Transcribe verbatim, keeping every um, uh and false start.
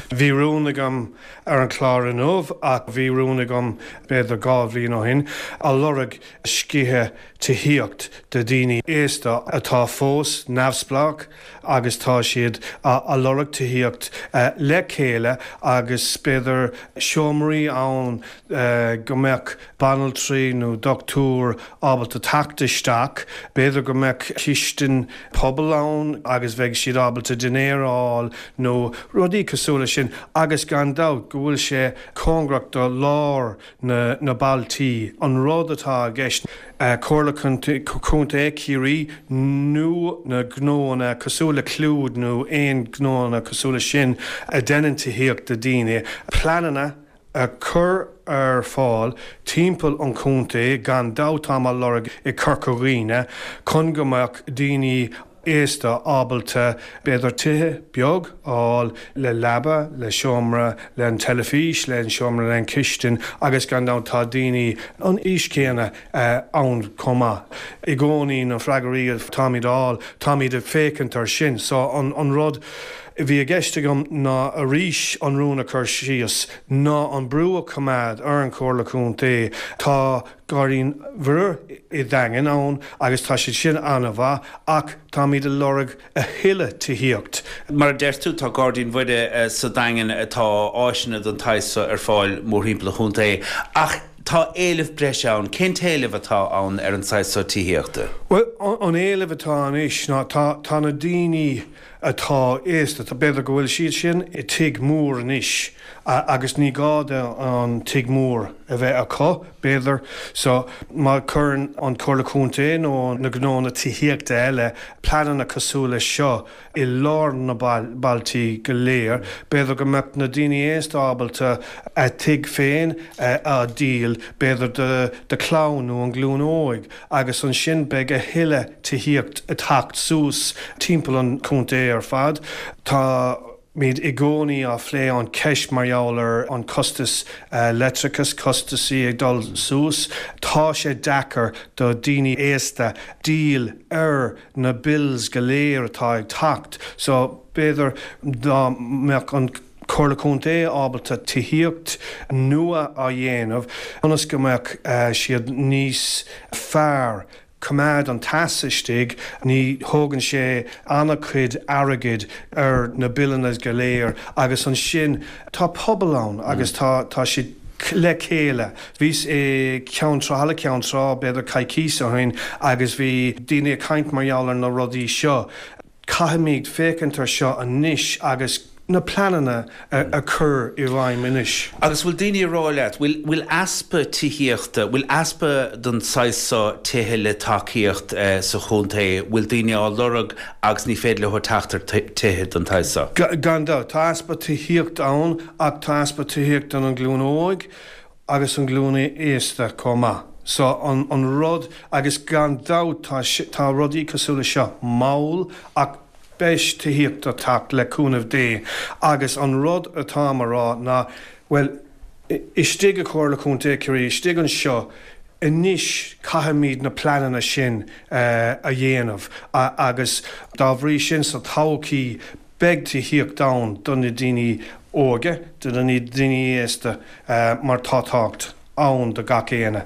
Bhí rún agam ar an chlár inniu ach bhí rún agam b'fhéidir dhá bhliain ó shin a lorg scíthe tithíocht do daoine aosta atá fós neamhspleách agus tá siad a lorg tithíocht le chéile agus b'fhéidir seomraí ann go mbeadh banaltraí nó dochtúir ábalta teacht isteach, b'fhéidir go mbeadh cistin pobail ann agus bheadh siad ábalta dinnéar a fháil nó rudaí cosúil leis sin agus gan dabht go bhfuil sé cóngarach do lár na na bailtí an rud atá i gceist Comhairle Contae Chiarraí nó na gnóanna cosúil le Clúid nó aon gnóanna cosúil leis sin a dhéanann tithíocht do daoine pleananna a chur ar fáil timpeall an chontae gan dabht tá á lorg i Corca Dhuibhne chun go mbeadh daoine aosta ábalta b'fhéidir tithe beag a fháil le leaba le seomra le an teilifís le an seomra le an cistin agus gan dabht tá daoine an aois céanna ann chomh maith. I gcónaí na freagraí táimid á fháil táimid ag féachaint ar sin so an an rud bhí i gceist agam ná arís an rún a chur síos ná an brú a choimeád ar an Chomhairle Contae tá Gairdín Mhuire i Daingean ann agus tá siad sin an-mhaith ach táimid ag lorg a thuilleadh tithíocht. Mar a deir tú tá Gairdín Mhuire sa Daingean atá áiseanna den tsaghas seo ar fáil mórthimpeall an chontae ach tá éileamh breise ann, cén t-éileamh atá ann ar an saghas seo tithíochta? Well an éileamh atá anois ná tá tá na daoine atá aosta tá b'fhéidir go bhfuil siad sin i tigh mór anois agus ní gá do an tigh mór a bheith acu b'fhéidir so má chuireann an Chomhairle Contae nó na gnóanna tithíochta eile pleananna cosúil leis seo i lár na bailtí go léir, b'fhéidir go mbeadh na daoine aosta ábalta a tigh féin a dhíol b'fhéidir do do chlann nó an glúin óig agus ansin beidh a thuilleadh tithíocht ag teacht suas timpeall an chontae ar fad. Tá Táimid i gcónaí á phlé an cheist mar gheall ar an costas leictreachas costasaí ag dul suas. Tá sé deacair do daoine aosta deal ar na bills go léir atá ag teacht, so b'fhéidir dá mbeadh an Comhairle Contae ábalta tithíocht nua á dhéanamh ionas go mbeadh siad níos fearr coimeád an teas istigh, ní thógann sé an-chuid airgid ar na billeanna go léir agus ansin tá pobal ann agus tá tá siad le chéile. Bhíos i Ceann Trá Halla Ceann Trá b'fhéidir coicís ó shin agus bhí daoine ag caint mar gheall ar na rudaí seo. Caithfimid féachaint ar seo anois agus na pleananna a chur i bhfeidhm anois. Agus bhfuil daoine ag rá leat, bhfuil bhfuil easpa tithíochta, bhfuil easpa den saghas seo tithe le tacaíocht sa chontae, bhfuil daoine á lorg agus ní féidir leo teacht ar tithe den tsaghas seo? Gan dabht, tá easpa tithíocht ann ach tá easpa tithíocht don an glúin óig agus an glúin aosta chomh maith. So an an rud agus gan dabht tá tá rudaí cosúil le seo mall ach beidh tithíocht ag teacht le cúnamh Dé agus an rud atáim a rá ná bhuel istigh i Comhairle Contae Chiarraí istigh anseo anois caithfimid na pleananna sin a dhéanamh agus dá bhrí sin sa todhchaí beidh tithíocht ann do na daoine óga, do na daoine aosta mar tá tábhacht ann do gach éinne.